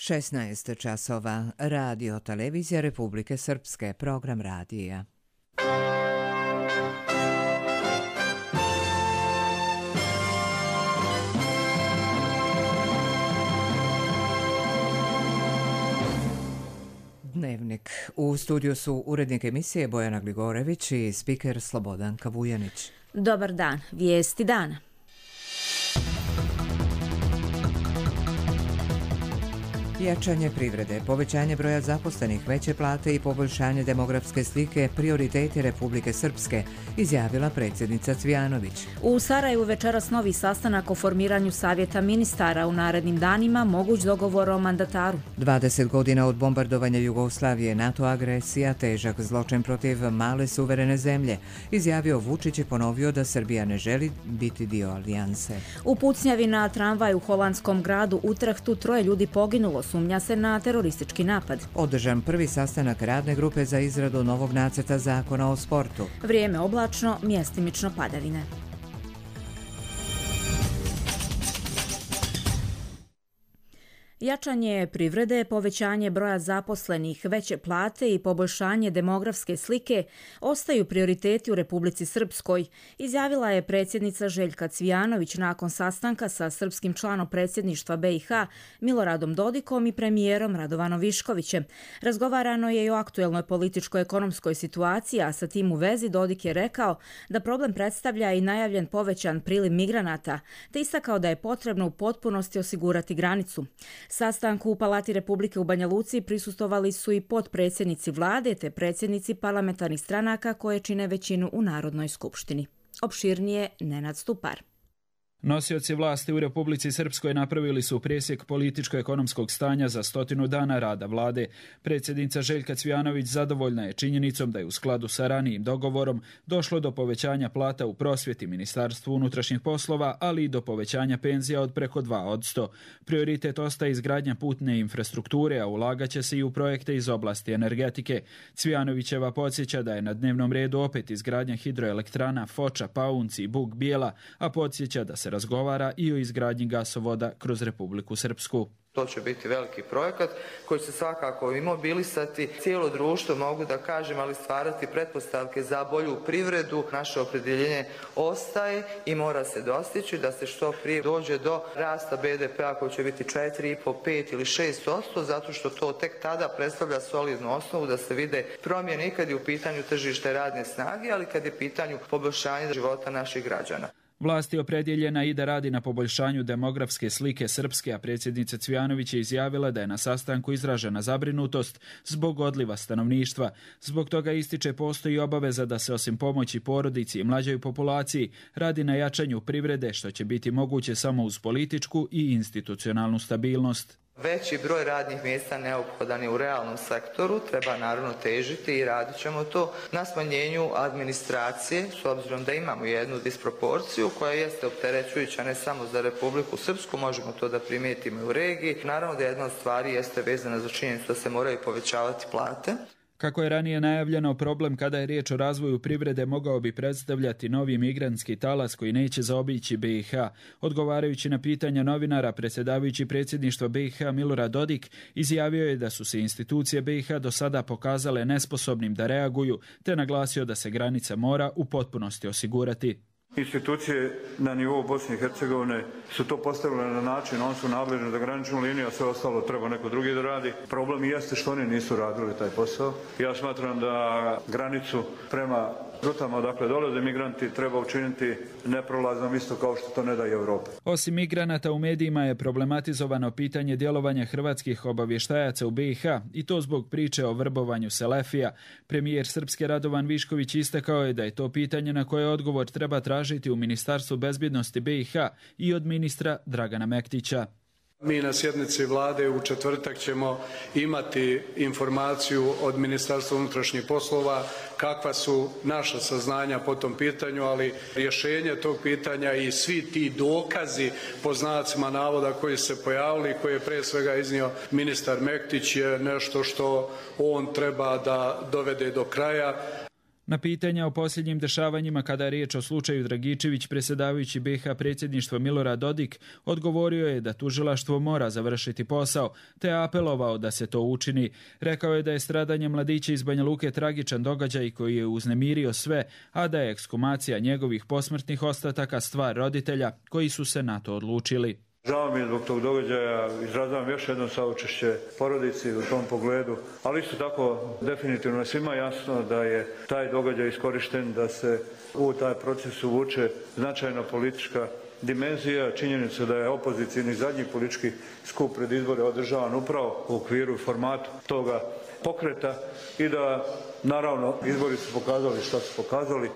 16 časova. Radio Televizija Republike Srpske. Program radija. Dnevnik. U studiju su urednik emisije Bojana Gligorević i spiker Slobodan Kavujanić. Dobar dan. Vijesti dana. Jačanje privrede, povećanje broja zaposlenih, veće plate i poboljšanje demografske slike prioriteti Republike Srpske, izjavila predsjednica Cvijanović. U Sarajevu večeras novi sastanak o formiranju savjeta ministara. U narednim danima moguć dogovor o mandataru. 20 godina od bombardovanja Jugoslavije, NATO agresija, težak zločin protiv male suverene zemlje, izjavio Vučić i ponovio da Srbija ne želi biti dio alijanse. U pucnjavi na tramvaj u holandskom gradu Utrehtu 3 ljudi poginulo. Sumnja se na teroristički napad. Održan prvi sastanak radne grupe za izradu novog nacrta zakona o sportu. Vrijeme oblačno, mjestimično padavine. Jačanje privrede, povećanje broja zaposlenih, veće plate i poboljšanje demografske slike ostaju prioriteti u Republici Srpskoj, izjavila je predsjednica Željka Cvijanović nakon sastanka sa srpskim članom predsjedništva BiH Miloradom Dodikom i premijerom Radovanom Viškovićem. Razgovarano je i o aktuelnoj političko-ekonomskoj situaciji, a sa tim u vezi Dodik je rekao da problem predstavlja i najavljen povećan priliv migranata, te istakao da je potrebno u potpunosti osigurati granicu. Sastanku u Palati Republike u Banja Luci prisustvovali su i potpredsjednici vlade te predsjednici parlamentarnih stranaka koje čine većinu u Narodnoj skupštini. Opširnije Nenad Stupar. Nosioci vlasti u Republici Srpskoj napravili su presjek političko-ekonomskog stanja za 100 dana rada vlade. Predsjednica Željka Cvijanović zadovoljna je činjenicom da je u skladu sa ranijim dogovorom došlo do povećanja plata u prosvjeti, Ministarstvu unutrašnjih poslova, ali i do povećanja penzija od preko 2%. Prioritet ostaje izgradnja putne infrastrukture, a ulagaće se i u projekte iz oblasti energetike. Cvijanovićeva podsjeća da je na dnevnom redu opet izgradnja hidroelektrana Foča, Paunci i Buk Bijela, a podsjeća da se razgovara i o izgradnji gasovoda kroz Republiku Srpsku. To će biti veliki projekat koji će svakako imobilisati cijelo društvo, mogu da kažem, ali stvarati pretpostavke za bolju privredu. Naše opredjeljenje ostaje i mora se dostići da se što prije dođe do rasta BDP-a koji će biti 4,5, 5 ili 6%, zato što to tek tada predstavlja solidnu osnovu da se vide promjene i kad je u pitanju tržište radne snage, ali kad je pitanju poboljšanja života naših građana. Vlast je opredjeljena i da radi na poboljšanju demografske slike Srpske, a predsjednica Cvijanović je izjavila da je na sastanku izražena zabrinutost zbog odliva stanovništva. Zbog toga ističe postoji obaveza da se osim pomoći porodici i mlađoj populaciji radi na jačanju privrede, što će biti moguće samo uz političku i institucionalnu stabilnost. Veći broj radnih mjesta neophodan je u realnom sektoru, treba naravno težiti i radit ćemo to na smanjenju administracije, s obzirom da imamo jednu disproporciju koja jeste opterećujuća ne samo za Republiku Srpsku, možemo to da primijetimo i u regiji. Naravno da jedna od stvari jeste vezana za činjenicu da se moraju povećavati plate. Kako je ranije najavljeno, problem kada je riječ o razvoju privrede mogao bi predstavljati novi migrantski talas koji neće zaobići BiH. Odgovarajući na pitanja novinara, predsjedavajući predsjedništva BiH Milorad Dodik izjavio je da su se institucije BiH do sada pokazale nesposobnim da reaguju, te naglasio da se granica mora u potpunosti osigurati. Institucije na nivou Bosne i Hercegovine su to postavile na način, oni su nadležni za graničnu liniju, a sve ostalo treba neko drugi da radi. Problem jeste što oni nisu radili taj posao. Ja smatram da granicu prema rutama odakle dolaze migranti treba učiniti neprolaznom isto kao što to ne da i Evropa. Osim migranata u medijima je problematizovano pitanje djelovanja hrvatskih obavještajaca u BiH i to zbog priče o vrbovanju Selefija. Premijer Srpske Radovan Višković istakao je da je to pitanje na koje odgovor treba tražiti u Ministarstvu bezbjednosti BiH i od ministra Dragana Mektića. Mi na sjednici vlade u četvrtak ćemo imati informaciju od Ministarstva unutrašnjih poslova kakva su naša saznanja po tom pitanju, ali rješenje tog pitanja i svi ti dokazi po znacima navoda koji su se pojavili, koje je prije svega iznio ministar Mektić, je nešto što on treba da dovede do kraja. Na pitanja o posljednjim dešavanjima kada je riječ o slučaju Dragičević, predsjedavajući BiH predsjedništvo Milorad Dodik odgovorio je da tužilaštvo mora završiti posao, te apelovao da se to učini. Rekao je da je stradanje mladića iz Banja Luke tragičan događaj koji je uznemirio sve, a da je ekshumacija njegovih posmrtnih ostataka stvar roditelja koji su se na to odlučili. Žao mi je zbog tog događaja, izražavam još jedno saučešće porodici u tom pogledu, ali isto tako definitivno je svima jasno da je taj događaj iskorišten da se u taj proces uvuče značajna politička dimenzija, činjenica da je opozicijni zadnji politički skup pred izbore održavan upravo u okviru i formatu toga pokreta i da naravno izbori su pokazali što su pokazali.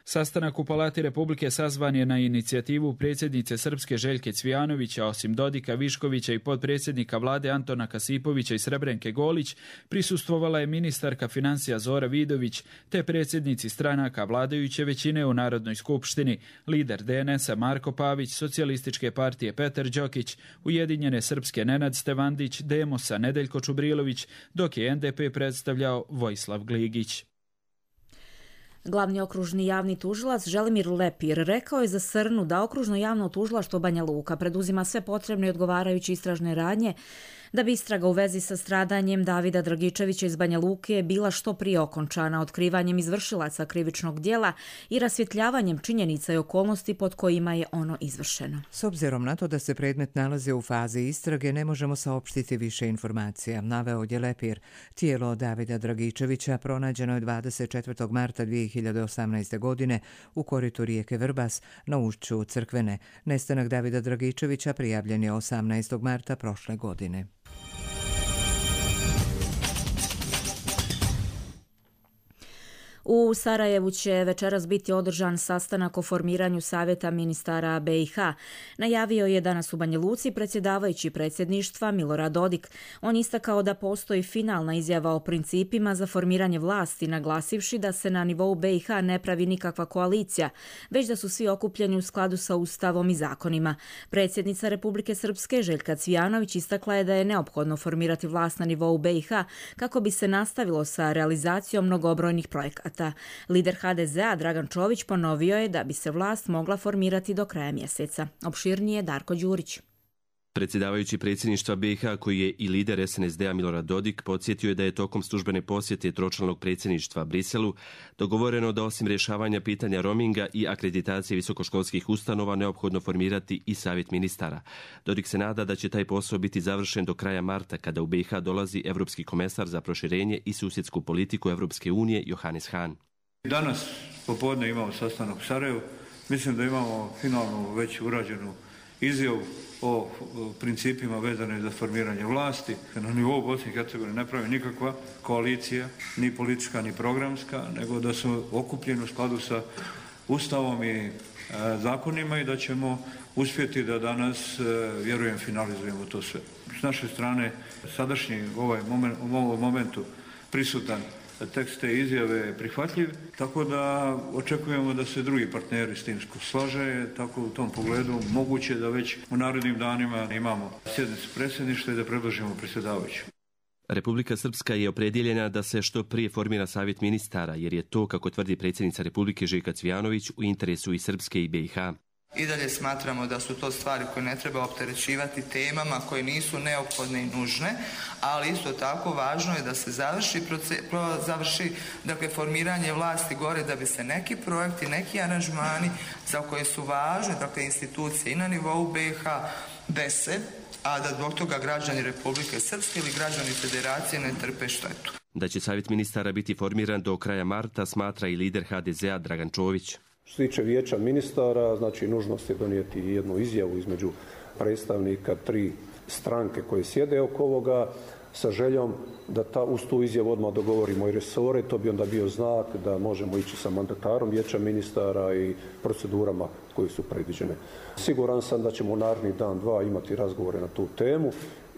Sastanak u Palati Republike sazvan je na inicijativu predsjednice Srpske Željke Cvijanovića, osim Dodika, Viškovića i potpredsjednika vlade Antona Kasipovića i Srebrenke Golić, prisustvovala je ministarka financija Zora Vidović, te predsjednici stranaka vladajuće većine u Narodnoj skupštini, lider DNS-a Marko Pavić, Socijalističke partije Petar Đokić, Ujedinjene Srpske Nenad Stevandić, Demosa Nedeljko Čubrilović, dok je NDP predstavljao Vojislav Gligić. Glavni okružni javni tužilac Želimir Lepir rekao je za Srnu da okružno javno tužilaštvo Banja Luka preduzima sve potrebne i odgovarajuće istražne radnje da bi istraga u vezi sa stradanjem Davida Dragičevića iz Banja Luke bila što prije okončana otkrivanjem izvršilaca krivičnog djela i rasvjetljavanjem činjenica i okolnosti pod kojima je ono izvršeno. S obzirom na to da se predmet nalazi u fazi istrage, ne možemo saopštiti više informacija, naveo je Lepir. Tijelo Davida Dragičevića pronađeno je 24. marta 2018. godine u koritu rijeke Vrbas na ušću Crkvene. Nestanak Davida Dragičevića prijavljen je 18. marta prošle godine. U Sarajevu će večeras biti održan sastanak o formiranju Savjeta ministara BiH. Najavio je danas u Banja Luci predsjedavajući predsjedništva Milorad Dodik. On istakao da postoji finalna izjava o principima za formiranje vlasti, naglasivši da se na nivou BiH ne pravi nikakva koalicija, već da su svi okupljeni u skladu sa Ustavom i zakonima. Predsjednica Republike Srpske Željka Cvijanović istakla je da je neophodno formirati vlast na nivou BiH kako bi se nastavilo sa realizacijom mnogobrojnih projekata. Lider HDZ-a Dragan Čović ponovio je da bi se vlast mogla formirati do kraja mjeseca. Opširnije Darko Đurić. Predsjedavajući predsjedništva BiH, koji je i lider SNSD-a Milorad Dodik, podsjetio je da je tokom službene posjete tročlanog predsjedništva Briselu dogovoreno da osim rješavanja pitanja roaminga i akreditacije visokoškolskih ustanova neophodno formirati i savjet ministara. Dodik se nada da će taj posao biti završen do kraja marta, kada u BiH dolazi Evropski komesar za proširenje i susjedsku politiku Evropske unije Johannes Hahn. Danas popodne imamo sastanak u Sarajevu. Mislim da imamo finalnu već urađenu izjavu o principima vezane za formiranje vlasti. Na nivou Bosne i Hercegovine ne pravi nikakva koalicija, ni politička, ni programska, nego da su okupljeni u skladu sa Ustavom i zakonima i da ćemo uspjeti da danas, vjerujem, finalizujemo to sve. S naše strane, sadašnji u ovom momentu prisutan tekst te izjave je prihvatljiv, tako da očekujemo da se drugi partneri s tim slaže, tako u tom pogledu moguće da već u narednim danima imamo sjednicu predsjedništva i da predložimo predsjedavajuću. Republika Srpska je opredjeljena da se što prije formira savjet ministara, jer je to, kako tvrdi predsjednica Republike Željka Cvijanović, u interesu i Srpske i BiH. I dalje smatramo da su to stvari koje ne treba opterećivati temama koje nisu neophodne i nužne, ali isto tako važno je da se završi dakle, formiranje vlasti gore da bi se neki projekti, neki aranžmani za koje su važne dakle, institucije i na nivou BiH dese, a da zbog toga građani Republike Srpske ili građani Federacije ne trpe štetu. Da će savjet ministara biti formiran do kraja marta, smatra i lider HDZ-a Dragan Čović. Što se tiče vijeća ministara, znači nužnost je donijeti jednu izjavu između predstavnika tri stranke koje sjede oko ovoga sa željom da uz tu izjavu odmah dogovorimo i resore. To bi onda bio znak da možemo ići sa mandatarom vijeća ministara i procedurama koje su predviđene. Siguran sam da ćemo u naredni dan, dva imati razgovore na tu temu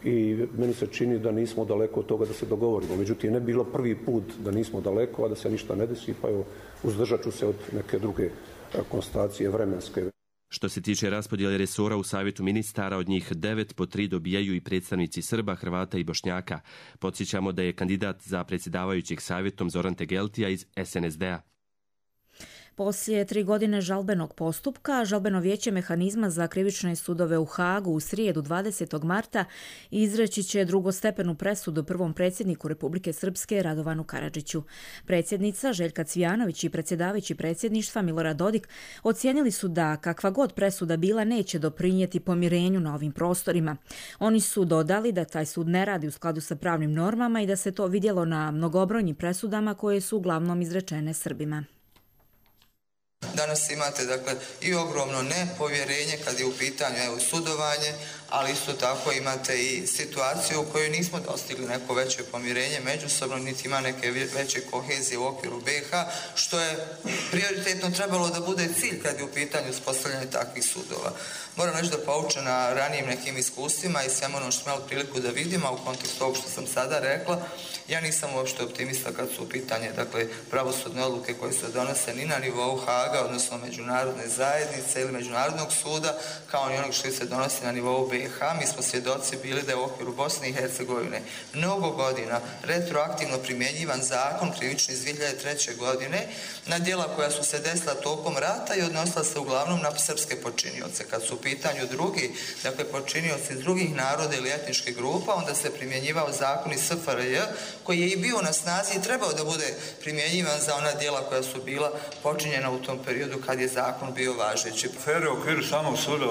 i meni se čini da nismo daleko od toga da se dogovorimo. Međutim, ne bilo prvi put da nismo daleko, a da se ništa ne desi, pa evo, uzdržat ću se od neke druge konstatacije vremenske. Što se tiče raspodjele resora u savjetu ministara, od njih 9 po 3 dobijaju i predstavnici Srba, Hrvata i Bošnjaka. Podsjećamo da je kandidat za predsjedavajućeg savjetom Zoran Tegeltija iz SNSD-a. Poslije 3 godine žalbenog postupka, žalbeno vijeće mehanizma za krivične sudove u Hagu u srijedu 20. marta izreći će drugostepenu presudu prvom predsjedniku Republike Srpske Radovanu Karadžiću. Predsjednica Željka Cvijanović i predsjedavajući predsjedništva Milorad Dodik ocijenili su da kakva god presuda bila neće doprinijeti pomirenju na ovim prostorima. Oni su dodali da taj sud ne radi u skladu sa pravnim normama i da se to vidjelo na mnogobrojnim presudama koje su uglavnom izrečene Srbima. Danas imate i ogromno nepovjerenje kad je u pitanju sudovanje, ali isto tako imate i situaciju u kojoj nismo dostigli neko veće pomirenje međusobno, niti ima neke veće kohezije u okviru BiH, što je prioritetno trebalo da bude cilj kad je u pitanju uspostavljanje takvih sudova. Moram reći da poučena ranijim nekim iskustvima i svemu ono što smo imali priliku da vidimo, a u kontekstu ovog što sam sada rekla, ja nisam uopšte optimista kad su u pitanje pravosudne odluke koje se donose ni na nivou Haga, odnosno međunarodne zajednice ili međunarodnog suda, kao ni onog što se donosi na nivou BiH. Mi smo svjedoci bili da je u okviru Bosne i Hercegovine mnogo godina retroaktivno primjenjivan zakon krivični iz 2003. godine na djela koja su se desila tokom rata i odnosila se uglavnom na srpske počinioce. Kad su u pitanju drugi, počinioci iz drugih naroda ili etničkih grupa, onda se primjenjivao zakon iz SFRJ koji je i bio na snazi i trebao da bude primjenjivan za ona djela koja su bila počinjena u tom periodu kad je zakon bio važeći. Afere u okviru samog suda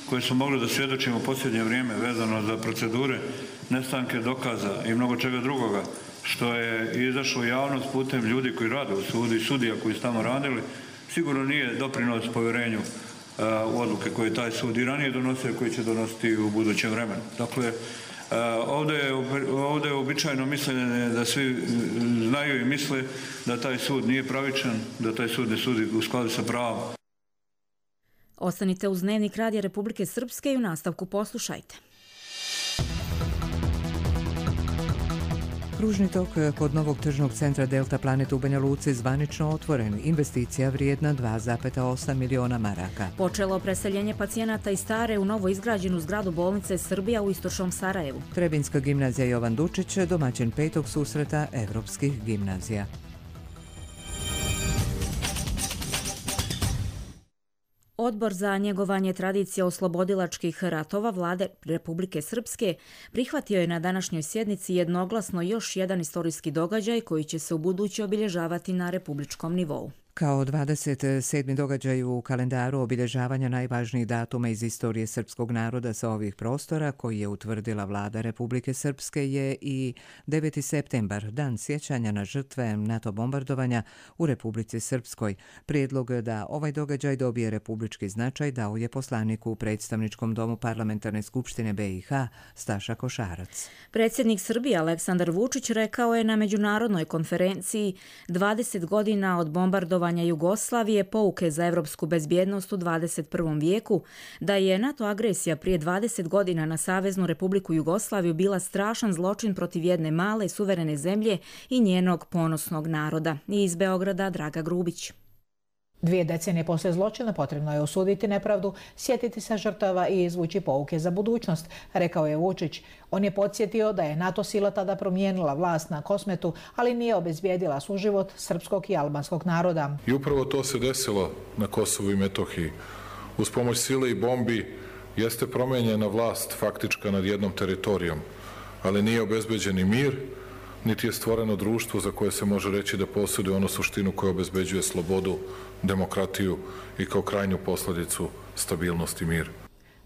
koje su mogli da svjedočimo u posljednje vrijeme vezano za procedure, nestanke dokaza i mnogo čega drugoga, što je izašlo u javnost putem ljudi koji rade u sudu i sudija koji su tamo radili, sigurno nije doprinos povjerenju u odluke koje je taj sud i ranije donosio i koji će donositi u budućem vremenu. Dakle, ovdje je uobičajeno mišljenje da svi znaju i misle da taj sud nije pravičan, da taj sud ne sudi u skladu sa pravom. Ostanite uz Dnevnik Radija Republike Srpske i u nastavku poslušajte. Kružni tok kod novog tržnog centra Delta Planet u Banja Luci zvanično otvoren. Investicija vrijedna 2,8 miliona maraka. Počelo preseljenje pacijenata iz stare u novo izgrađenu zgradu bolnice Srbija u istočnom Sarajevu. Trebinska gimnazija Jovan Dučić, domaćin 5. susreta evropskih gimnazija. Odbor za njegovanje tradicije oslobodilačkih ratova Vlade Republike Srpske prihvatio je na današnjoj sjednici jednoglasno još jedan istorijski događaj koji će se ubuduće obilježavati na republičkom nivou. Kao 27. događaj u kalendaru obilježavanja najvažnijih datuma iz istorije srpskog naroda sa ovih prostora, koji je utvrdila Vlada Republike Srpske, je i 9. septembar, dan sjećanja na žrtve NATO bombardovanja u Republici Srpskoj. Prijedlog da ovaj događaj dobije republički značaj dao je poslaniku u predstavničkom domu Parlamentarne skupštine BiH Staša Košarac. Predsjednik Srbije Aleksandar Vučić rekao je na međunarodnoj konferenciji 20 godina od bombardovanja Jugoslavije, pouke za evropsku bezbjednost u 21. vijeku, da je NATO agresija prije 20 godina na Saveznu Republiku Jugoslaviju bila strašan zločin protiv jedne male suverene zemlje i njenog ponosnog naroda. Iz Beograda Draga Grubić. 2 decenije poslije zločina potrebno je osuditi nepravdu, sjetiti se žrtava i izvući pouke za budućnost, rekao je Vučić. On je podsjetio da je NATO sila tada promijenila vlast na Kosmetu, ali nije obezbijedila suživot srpskog i albanskog naroda. I upravo to se desilo na Kosovu i Metohiji. Uz pomoć sile i bombi jeste promijenjena vlast faktička nad jednom teritorijom, ali nije obezbeđeni mir, niti je stvoreno društvo za koje se može reći da posjeduje onu suštinu koja obezbeđuje slobodu, demokratiju i kao krajnju posljedicu stabilnost i mir.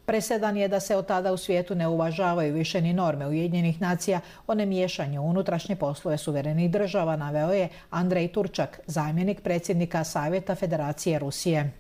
Presedan je da se od tada u svijetu ne uvažavaju više ni norme Ujedinjenih nacija o nemiješanju u unutrašnje poslove suverenih država, naveo je Andrej Turčak, zamjenik predsjednika Savjeta Federacije Rusije.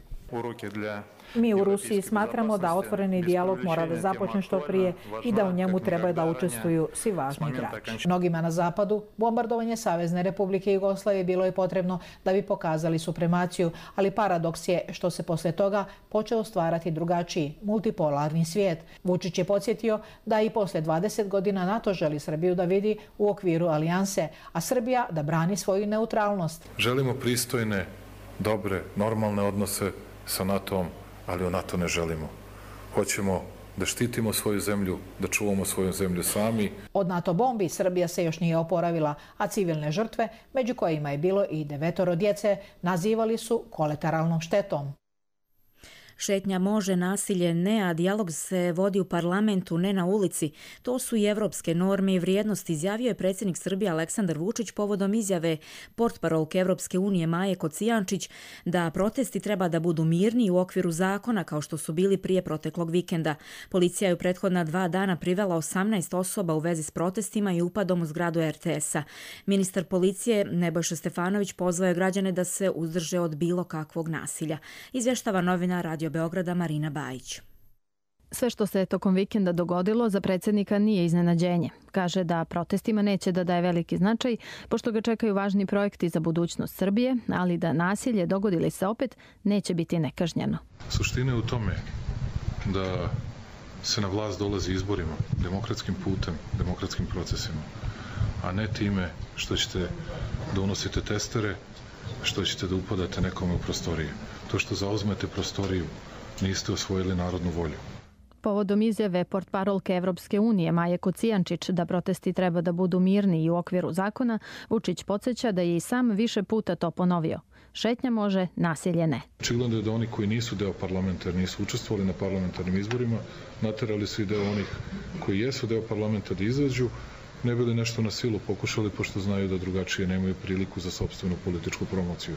Mi u Rusiji smatramo da otvoreni dijalog mora da započne što prije i da u njemu treba da učestvuju svi važni igrači. Mnogima na zapadu bombardovanje Savezne Republike Jugoslavije bilo je potrebno da bi pokazali supremaciju, ali paradoks je što se posle toga počeo stvarati drugačiji, multipolarni svijet. Vučić je podsjetio da i posle 20 godina NATO želi Srbiju da vidi u okviru alijanse, a Srbija da brani svoju neutralnost. Želimo pristojne, dobre, normalne odnose sa NATO-om, ali u NATO ne želimo. Hoćemo da štitimo svoju zemlju, da čuvamo svoju zemlju sami. Od NATO bombi Srbija se još nije oporavila, a civilne žrtve, među kojima je bilo i 9 djece, nazivali su kolateralnom štetom. Šetnja može, nasilje ne, a dijalog se vodi u parlamentu, ne na ulici. To su i evropske norme i vrijednosti, izjavio je predsjednik Srbije Aleksandar Vučić povodom izjave portparolke Evropske unije Maje Kocijančić da protesti treba da budu mirni u okviru zakona kao što su bili prije proteklog vikenda. Policija je u prethodna 2 dana privela 18 osoba u vezi s protestima i upadom u zgradu RTS-a. Ministar policije Nebojša Stefanović pozvao je građane da se uzdrže od bilo kakvog nasilja. Izvještava novina Radio Beograda Marina Bajić. Sve što se tokom vikenda dogodilo za predsjednika nije iznenađenje. Kaže da protestima neće da daje veliki značaj, pošto ga čekaju važni projekti za budućnost Srbije, ali da nasilje, dogodili se opet, neće biti nekažnjeno. Suština je u tome da se na vlast dolazi izborima, demokratskim putem, demokratskim procesima, a ne time što ćete da unosite testere, što ćete da upadate nekome u prostorije. To što zauzmete prostoriju, niste osvojili narodnu volju. Povodom izjave portparolke Evropske unije Maje Kocijančić da protesti treba da budu mirni i u okviru zakona, Vučić podsjeća da je i sam više puta to ponovio. Šetnja može, nasilje ne. Očigledno je da oni koji nisu deo parlamenta, nisu učestvovali na parlamentarnim izborima, naterali su i deo onih koji jesu deo parlamenta da izađu, ne bili nešto na silu pokušali, pošto znaju da drugačije nemaju priliku za sopstvenu političku promociju.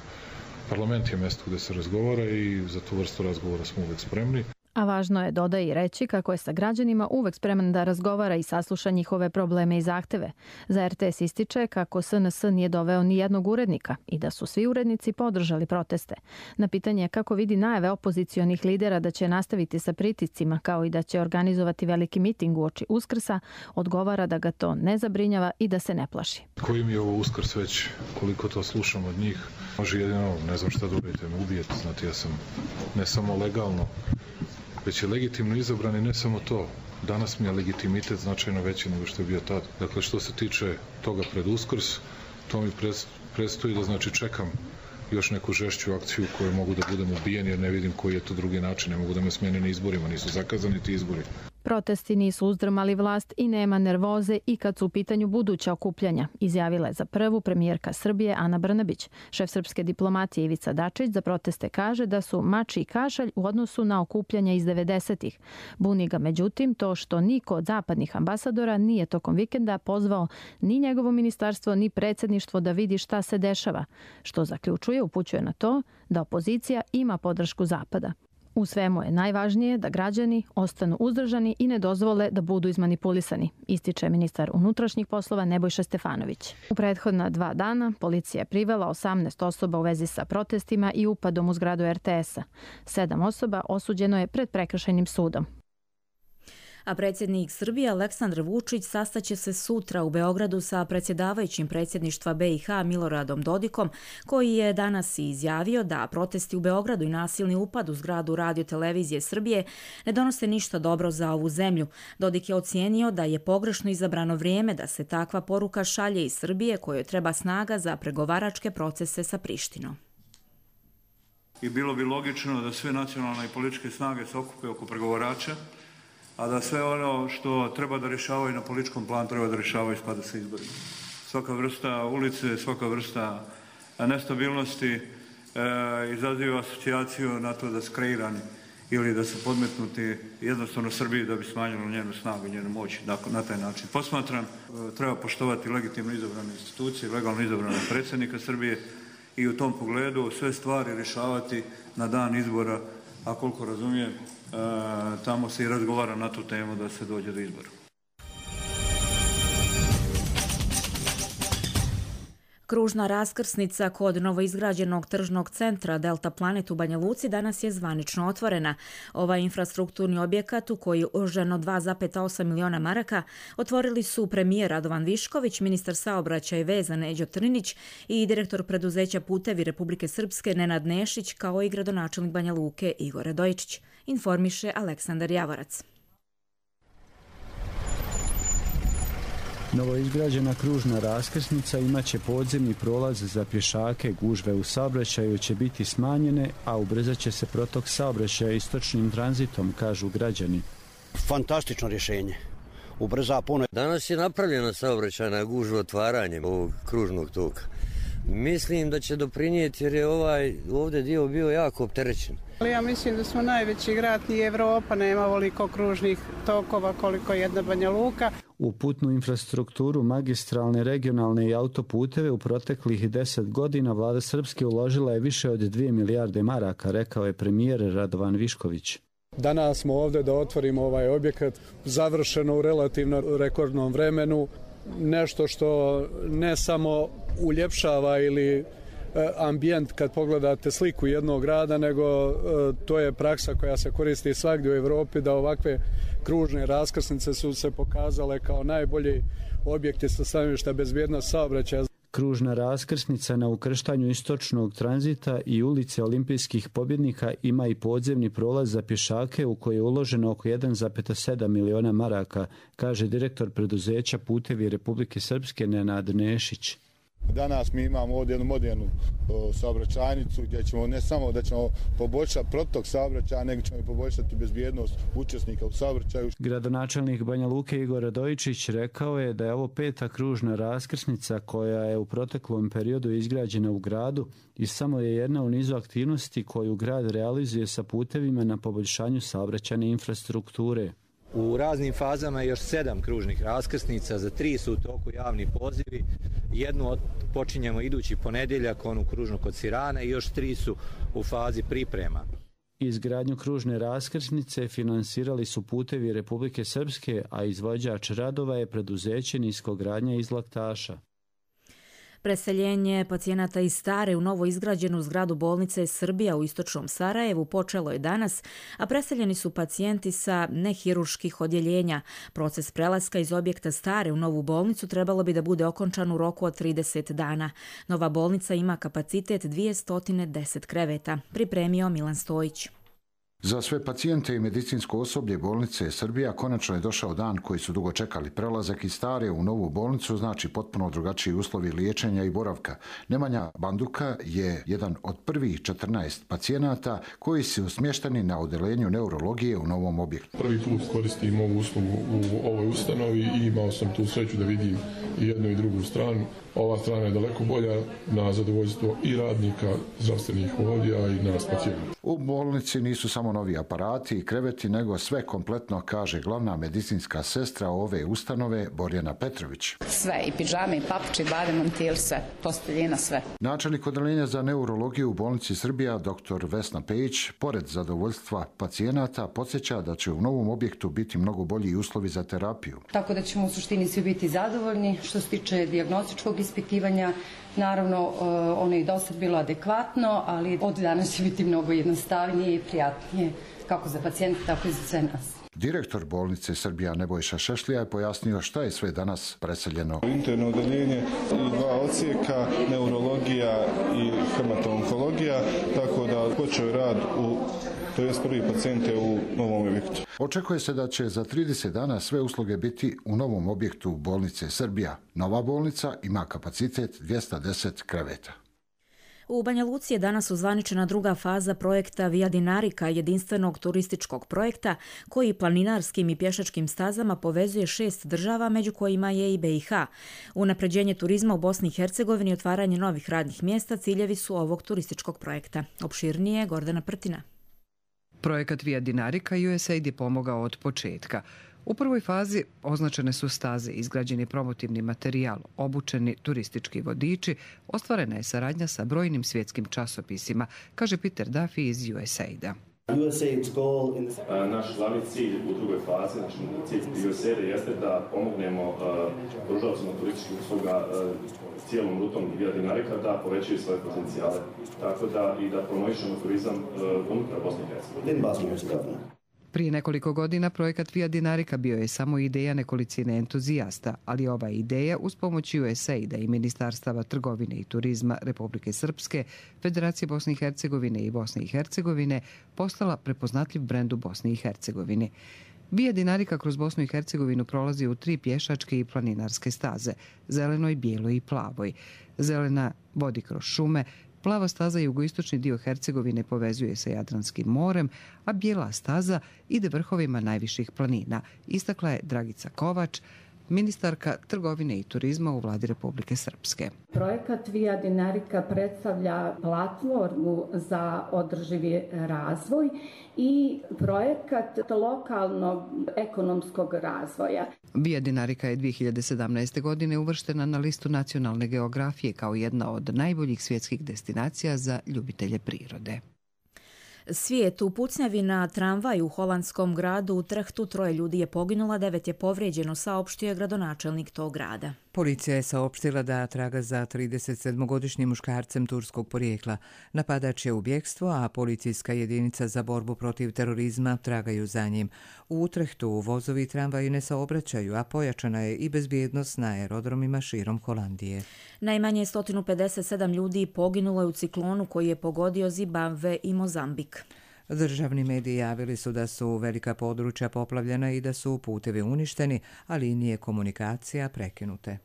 Parlament je mjesto gdje se razgovara i za tu vrstu razgovora smo uvijek spremni. A važno je, dodaje i reći, kako je sa građanima uvek spreman da razgovara i sasluša njihove probleme i zahteve. Za RTS ističe kako SNS nije doveo ni jednog urednika i da su svi urednici podržali proteste. Na pitanje kako vidi najave opozicionih lidera da će nastaviti sa pritiscima kao i da će organizovati veliki miting uoči Uskrsa, odgovara da ga to ne zabrinjava i da se ne plaši. Koji mi je ovo Uskrs već, koliko to slušam od njih, može jedino, ne znam šta da uradite, me ubijete, znate, ja sam ne samo legalno, već je legitimno izabran i ne samo to. Danas mi je legitimitet značajno veći nego što je bio tad. Dakle, što se tiče toga pred Uskrs, to mi predstoji da, znači, čekam još neku žešću akciju koju mogu da budem ubijen, jer ne vidim koji je to drugi način. Ne mogu da me smene na izborima, nisu zakazani ti izbori. Protesti nisu uzdrmali vlast i nema nervoze i kad su u pitanju buduća okupljanja, izjavila je za prvu premijerka Srbije Ana Brnabić. Šef srpske diplomatije Ivica Dačić za proteste kaže da su mači i kašalj u odnosu na okupljanja iz 90-ih. Buni ga međutim to što niko od zapadnih ambasadora nije tokom vikenda pozvao ni njegovo ministarstvo ni predsjedništvo da vidi šta se dešava, što zaključuje, upućuje na to da opozicija ima podršku Zapada. U svemu je najvažnije da građani ostanu uzdržani i ne dozvole da budu izmanipulisani, ističe ministar unutrašnjih poslova Nebojša Stefanović. U prethodna 2 dana policija je privela 18 osoba u vezi sa protestima i upadom u zgradu RTS-a. 7 osoba osuđeno je pred prekršajnim sudom. A predsjednik Srbije Aleksandar Vučić sastaće se sutra u Beogradu sa predsjedavajućim predsjedništva BiH Miloradom Dodikom, koji je danas izjavio da protesti u Beogradu i nasilni upad u zgradu Radio-televizije Srbije ne donose ništa dobro za ovu zemlju. Dodik je ocijenio da je pogrešno izabrano vrijeme da se takva poruka šalje iz Srbije, kojoj treba snaga za pregovaračke procese sa Prištinom. I bilo bi logično da sve nacionalne i političke snage se okupe oko pregovarača, a da sve ono što treba da rješavaju na političkom planu treba da rješavaju u skladu sa izborima. Svaka vrsta ulice, svaka vrsta nestabilnosti izaziva asocijaciju na to da su kreirani ili da su podmetnuti jednostavno Srbiji da bi smanjilo njenu snagu i njenu moć na taj način. Posmatram, treba poštovati legitimno izabrane institucije, legalno izabranog predsjednika Srbije i u tom pogledu sve stvari rješavati na dan izbora, a koliko razumijem, tamo se i razgovara na tu temu da se dođe do izbora. Kružna raskrsnica kod novoizgrađenog tržnog centra Delta Planet u Banja Luci danas je zvanično otvorena. Ovaj infrastrukturni objekat u koji je uloženo 2,8 miliona maraka otvorili su premijer Radovan Višković, ministar saobraćaja i veza Neđo Trnić i direktor preduzeća Putevi Republike Srpske Nenad Nešić, kao i gradonačelnik Banja Luke Igor Radojičić, informiše Aleksandar Javorac. Novoizgrađena kružna raskrsnica imaće podzemni prolaz za pješake, gužve u saobraćaju će biti smanjene, a ubrzat će se protok saobraćaja istočnim tranzitom, kažu građani. Fantastično rješenje. Ubrza puno. Danas je napravljena saobraćajna gužva otvaranjem ovog kružnog toka. Mislim da će doprinijeti jer je ovdje dio bio jako opterećen. Ja mislim da smo najveći grad i Evropa, nema ovoliko kružnih tokova koliko jedna Banja Luka. U putnu infrastrukturu, magistralne, regionalne i autoputeve u proteklih 10 godina vlada Srpske uložila je više od 2 milijarde maraka, rekao je premijer Radovan Višković. Danas smo ovdje da otvorimo ovaj objekat, završeno u relativno rekordnom vremenu, nešto što ne samo uljepšava ili ambijent kad pogledate sliku jednog grada, nego to je praksa koja se koristi svagdje u Evropi, da ovakve kružne raskrsnice su se pokazale kao najbolji objekti sa stanovišta bezbjednosti saobraćaja. Kružna raskrsnica na ukrštanju istočnog tranzita i ulice olimpijskih pobjednika ima i podzemni prolaz za pješake u koji je uloženo oko 1,7 miliona maraka, kaže direktor preduzeća Putevi Republike Srpske Nenad Nešić. Danas mi imamo ovdje jednu modernu saobraćajnicu gdje ćemo ne samo da ćemo poboljšati protok saobraćaja, nego ćemo i poboljšati bezbjednost učesnika u saobraćaju. Gradonačelnik Banja Luke Igor Radojičić rekao je da je ovo 5. kružna raskrsnica koja je u proteklom periodu izgrađena u gradu i samo je jedna u nizu aktivnosti koju grad realizuje sa putevima na poboljšanju saobraćajne infrastrukture. U raznim fazama još 7 kružnih raskrsnica, za 3 su u toku javni pozivi, jednu počinjemo idući ponedjeljak, onu kružnu kod Sirana, i još 3 su u fazi priprema. Izgradnju kružne raskrsnice finansirali su Putevi Republike Srpske, a izvođač radova je preduzeće Niskogradnja iz Laktaša. Preseljenje pacijenata iz stare u novo izgrađenu zgradu bolnice Srbija u istočnom Sarajevu počelo je danas, a preseljeni su pacijenti sa nehirurških odjeljenja. Proces prelaska iz objekta stare u novu bolnicu trebalo bi da bude okončan u roku od 30 dana. Nova bolnica ima kapacitet 210 kreveta, pripremio Milan Stojić. Za sve pacijente i medicinsko osoblje bolnice Srbija konačno je došao dan koji su dugo čekali. Prelazak iz stare u novu bolnicu znači potpuno drugačiji uslovi liječenja i boravka. Nemanja Banduka je jedan od prvih 14 pacijenata koji su smješteni na odeljenju neurologije u novom objektu. Prvi put koristim ovu uslugu u ovoj ustanovi i imao sam tu sreću da vidim i jednu i drugu stranu. Ova strana je daleko bolja na zadovoljstvo i radnika, zdravstvenih odjela i nas pacijenata. U bolnici nisu samo novi aparati i kreveti, nego sve kompletno, kaže glavna medicinska sestra ove ustanove Borjana Petrović. Sve, i pidžame, i papuče, i bade, montil, sve, posteljina, sve. Načelnik odeljenja za neurologiju u bolnici Srbija, dr. Vesna Pejić, pored zadovoljstva pacijenata, podsjeća da će u novom objektu biti mnogo bolji uslovi za terapiju. Tako da ćemo u suštini svi biti zadovoljni. Što se tiče dijagnostičkog ispitivanja, naravno ono je do sad bilo adekvatno, ali od danas će biti mnogo jednostavnije i prijatnije kako za pacijente, tako i za sve nas. Direktor bolnice Srbija Nebojša Šešlija je pojasnio šta je sve danas preseljeno. Interno odeljenje i 2 odsjeka, neurologija i hematologija, tako da počeo rad to je prvi pacijente u novom objektu. Očekuje se da će za 30 dana sve usluge biti u novom objektu bolnice Srbija. Nova bolnica ima kapacitet 210 kreveta. U Banja Luci je danas uzvaničena druga faza projekta Via Dinarica, jedinstvenog turističkog projekta koji planinarskim i pješačkim stazama povezuje 6 država, među kojima je i BiH. Unapređenje turizma u Bosni i Hercegovini i otvaranje novih radnih mjesta ciljevi su ovog turističkog projekta. Opširnije Gordana Prtina. Projekat Via Dinarica USAID je pomogao od početka. U prvoj fazi označene su staze, izgrađeni promotivni materijal, obučeni turistički vodiči, ostvarena je saradnja sa brojnim svjetskim časopisima, kaže Peter Duffy iz USAID-a. Naš glavni cilj u drugoj fazi, znači cilj USAID-a jeste da pomognemo pružaocima turističkih usluga cijelom rutom Via Dinarica da povećaju svoje potencijale, tako da i da promovišemo turizam unutar Bosne i Hercegovine. Prije nekoliko godina projekat Via Dinarica bio je samo ideja nekolicine entuzijasta, ali ova ideja uz pomoć USAID-a i Ministarstava trgovine i turizma Republike Srpske, Federacije Bosne i Hercegovine i Bosne i Hercegovine postala prepoznatljiv brend u Bosni i Hercegovini. Via Dinarica kroz Bosnu i Hercegovinu prolazi u 3 pješačke i planinarske staze, zelenoj, bijeloj i plavoj. Zelena vodi kroz šume, Plava staza jugoistočni dio Hercegovine povezuje sa Jadranskim morem, a bijela staza ide vrhovima najviših planina, istakla je Dragica Kovač, ministarka trgovine i turizma u vladi Republike Srpske. Projekat Via Dinarica predstavlja platformu za održivi razvoj i projekat lokalnog ekonomskog razvoja. Via Dinarica je 2017. godine uvrštena na listu nacionalne geografije kao jedna od najboljih svjetskih destinacija za ljubitelje prirode. Svijet u pucnjavi na tramvaju u holandskom gradu Utrechtu 3 ljudi je poginulo, 9 je povrijeđeno, saopštio je gradonačelnik tog grada. Policija je saopštila da traga za 37-godišnjim muškarcem turskog porijekla. Napadač je u bjekstvu, a policijska jedinica za borbu protiv terorizma tragaju za njim. U Utrechtu vozovi i tramvaji ne saobraćaju, a pojačana je i bezbjednost na aerodromima širom Holandije. Najmanje 157 ljudi poginulo je u ciklonu koji je pogodio Zimbabve i Mozambik. Državni mediji javili su da su velika područja poplavljena i da su putevi uništeni, a linije komunikacija prekinute.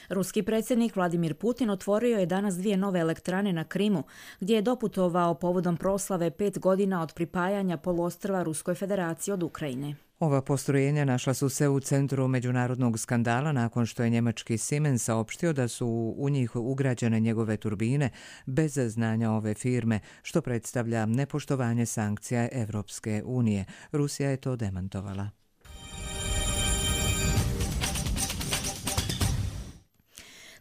Ruski predsjednik Vladimir Putin otvorio je danas 2 nove elektrane na Krimu, gdje je doputovao povodom proslave 5 godina od pripajanja poluostrva Ruskoj federaciji od Ukrajine. Ova postrojenja našla su se u centru međunarodnog skandala nakon što je njemački Siemens saopštio da su u njih ugrađene njegove turbine bez znanja ove firme, što predstavlja nepoštovanje sankcija Evropske unije. Rusija je to demantovala.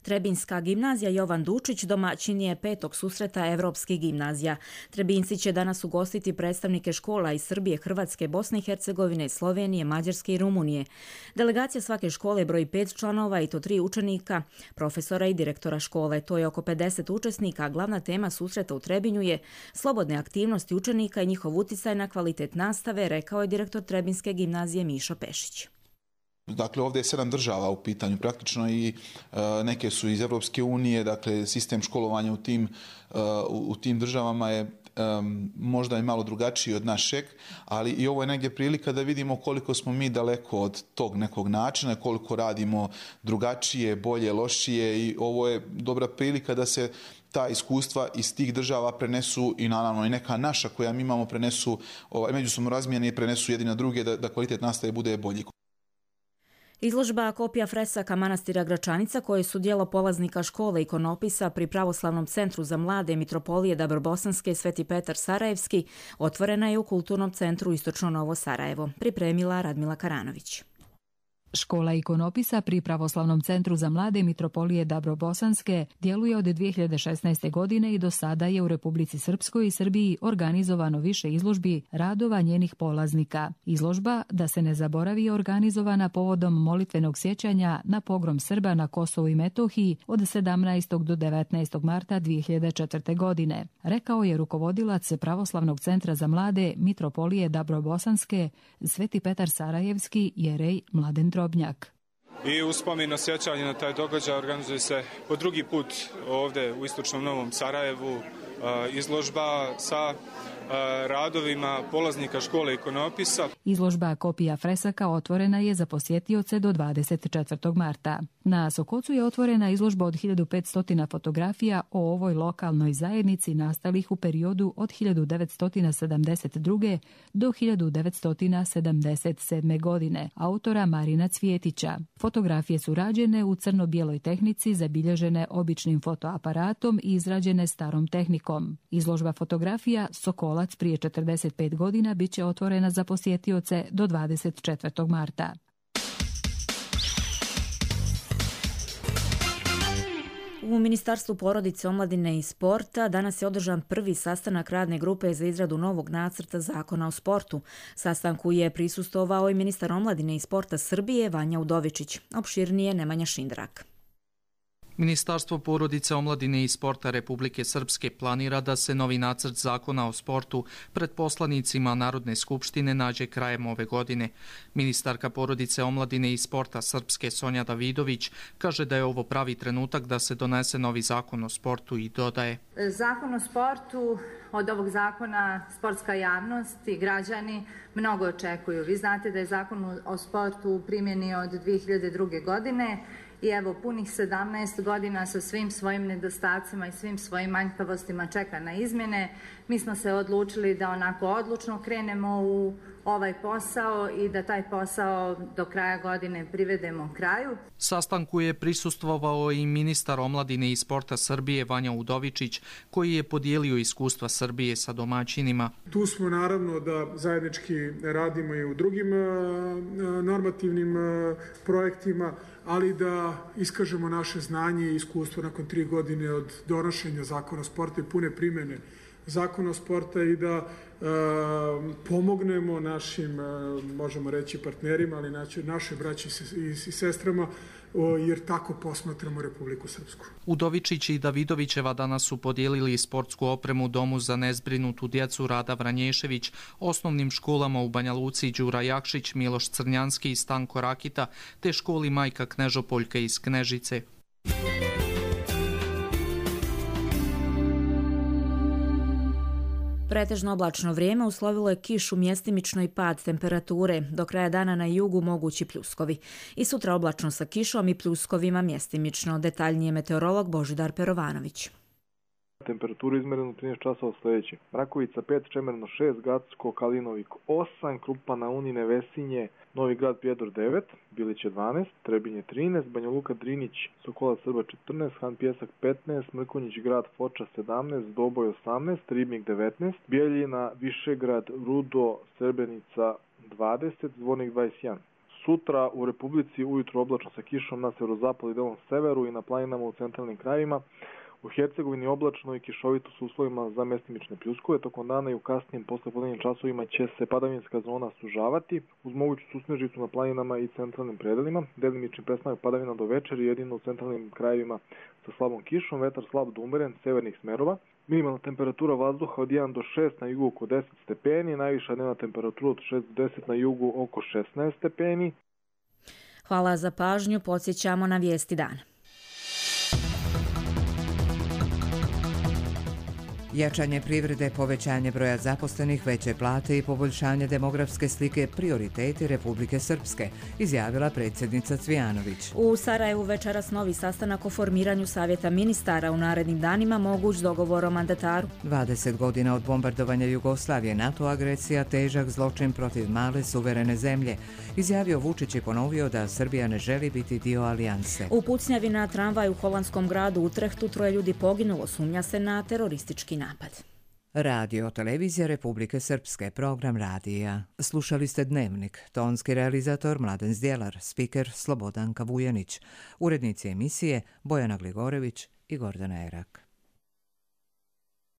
Trebinjska gimnazija Jovan Dučić domaćin je 5. susreta Evropskih gimnazija. Trebinjci će danas ugostiti predstavnike škola iz Srbije, Hrvatske, Bosne i Hercegovine, Slovenije, Mađarske i Rumunije. Delegacija svake škole broji 5 članova i to 3 učenika, profesora i direktora škole. To je oko 50 učesnika, a glavna tema susreta u Trebinju je slobodne aktivnosti učenika i njihov uticaj na kvalitet nastave, rekao je direktor Trebinjske gimnazije Mišo Pešić. Dakle, ovdje je 7 država u pitanju praktično i neke su iz Evropske unije, dakle sistem školovanja u tim državama je možda i malo drugačiji od našeg, ali i ovo je negdje prilika da vidimo koliko smo mi daleko od tog nekog načina, koliko radimo drugačije, bolje, lošije i ovo je dobra prilika da se ta iskustva iz tih država prenesu i naravno i neka naša koja mi imamo prenesu, međusobno razmijene i prenesu jedni na druge da kvalitet nastave bude bolji. Izložba kopija fresaka manastira Gračanica, koje su djelo polaznika škole ikonopisa pri Pravoslavnom centru za mlade Mitropolije Dabrobosanske Sveti Petar Sarajevski, otvorena je u Kulturnom centru Istočno Novo Sarajevo, pripremila Radmila Karanović. Škola ikonopisa pri Pravoslavnom centru za mlade Mitropolije Dabrobosanske djeluje od 2016. godine i do sada je u Republici Srpskoj i Srbiji organizovano više izložbi radova njenih polaznika. Izložba Da se ne zaboravi je organizovana povodom molitvenog sjećanja na pogrom Srba na Kosovu i Metohiji od 17. do 19. marta 2004. godine, rekao je rukovodilac Pravoslavnog centra za mlade Mitropolije Dabrobosanske Sveti Petar Sarajevski jerej Mladen Drobnjak. I u spomenu sjećanja na taj događaj organizuje se po drugi put ovdje u Istočnom Novom Sarajevu izložba sa radovima polaznika škole ikonopisa. Izložba kopija fresaka otvorena je za posjetioce do 24. marta. Na Sokocu je otvorena izložba od 1500 fotografija o ovoj lokalnoj zajednici nastalih u periodu od 1972. do 1977. godine, autora Marina Cvjetića. Fotografije su rađene u crno-bijeloj tehnici, zabilježene običnim fotoaparatom i izrađene starom tehnikom. Izložba fotografija Sokolac prije 45 godina bit će otvorena za posjetioce do 24. marta. U Ministarstvu porodice, omladine i sporta danas je održan prvi sastanak radne grupe za izradu novog nacrta zakona o sportu. Sastanku je prisustvovao i ministar omladine i sporta Srbije Vanja Udovičić. Opširnije Nemanja Šindrak. Ministarstvo porodice, omladine i sporta Republike Srpske planira da se novi nacrt zakona o sportu pred poslanicima Narodne skupštine nađe krajem ove godine. Ministarka porodice, omladine i sporta Srpske Sonja Davidović kaže da je ovo pravi trenutak da se donese novi zakon o sportu i dodaje. Zakon o sportu, od ovog zakona sportska javnost i građani mnogo očekuju. Vi znate da je zakon o sportu u primjeni od 2002. godine i evo punih 17 godina sa svim svojim nedostacima i svim svojim manjkavostima čeka na izmjene. Mi smo se odlučili da onako odlučno krenemo u ovaj posao i da taj posao do kraja godine privedemo kraju. Sastanku je prisustvovao i ministar omladine i sporta Srbije Vanja Udovičić, koji je podijelio iskustva Srbije sa domaćinima. Tu smo naravno da zajednički radimo i u drugim normativnim projektima, ali da iskažemo naše znanje i iskustvo nakon 3 godine od donošenja zakona o sportu i pune primjene zakona o sporta i da pomognemo našim, možemo reći, partnerima, ali naše braći i sestrama, jer tako posmatramo Republiku Srpsku. Udovičić i Davidovićeva danas su podijelili sportsku opremu Domu za nezbrinutu djecu Rada Vranješević, osnovnim školama u Banja Luci Đura Jakšić, Miloš Crnjanski i Stanko Rakita, te školi Majka Knežopoljka iz Knežice. Pretežno oblačno vrijeme uslovilo je kišu, mjestimično i pad temperature. Do kraja dana na jugu mogući pljuskovi. I sutra oblačno sa kišom i pljuskovima mjestimično. Detaljnije meteorolog Božidar Perovanović. Temperaturu izmerenu 13 časova sljedeće. Mrakovica 5, Čemerno 6, Gacko, Kalinovik 8, Krupa na Unine, Vesinje, Novi Grad, Prijedor 9, Biliće 12, Trebinje 13, Banja Luka, Drinić, Sokola, Srba 14, Han Pjesak 15, Mrkonjić Grad, Foča 17, Doboj 18, Ribnik 19, Bijeljina, Višegrad, Rudo, Srebrnica 20, Zvornik 21. Sutra u Republici ujutro oblačno sa kišom na severozapadu i delom severu i na planinama u centralnim krajevima. U Hercegovini oblačno i kišovito s uslovima za mjestimične pljuskove. Tokom dana i u kasnijim poslepodnevnim časovima će se padavinska zona sužavati uz moguću susnežicu na planinama i centralnim predelima. Delimični prestanak padavina do večeri, jedino u centralnim krajevima sa slabom kišom, vetar slab do umeren, severnih smerova. Minimalna temperatura vazduha od 1 do 6 na jugu oko 10 stepeni, najviša dnevna temperatura od 6 do 10 na jugu oko 16 stepeni. Hvala za pažnju, podsjećamo na vijesti dana. Jačanje privrede, povećanje broja zaposlenih, veće plate i poboljšanje demografske slike prioriteti Republike Srpske, izjavila predsjednica Cvijanović. U Sarajevu večeras novi sastanak o formiranju savjeta ministara, u narednim danima moguć dogovor o mandataru. 20 godina od bombardovanja Jugoslavije, NATO agresija, težak zločin protiv male suverene zemlje, izjavio Vučić i ponovio da Srbija ne želi biti dio alijanse. U pucnjavi na tramvaj u holandskom gradu Utrehtu 3 ljudi poginulo, sumnja se na teroristički napad. Radio televizija Republike Srpske, program radija. Slušali ste Dnevnik, tonski realizator Mladen Zdjelar, spiker Slobodanka Vujanić, urednici emisije Bojana Gligorević i Gordana Erak.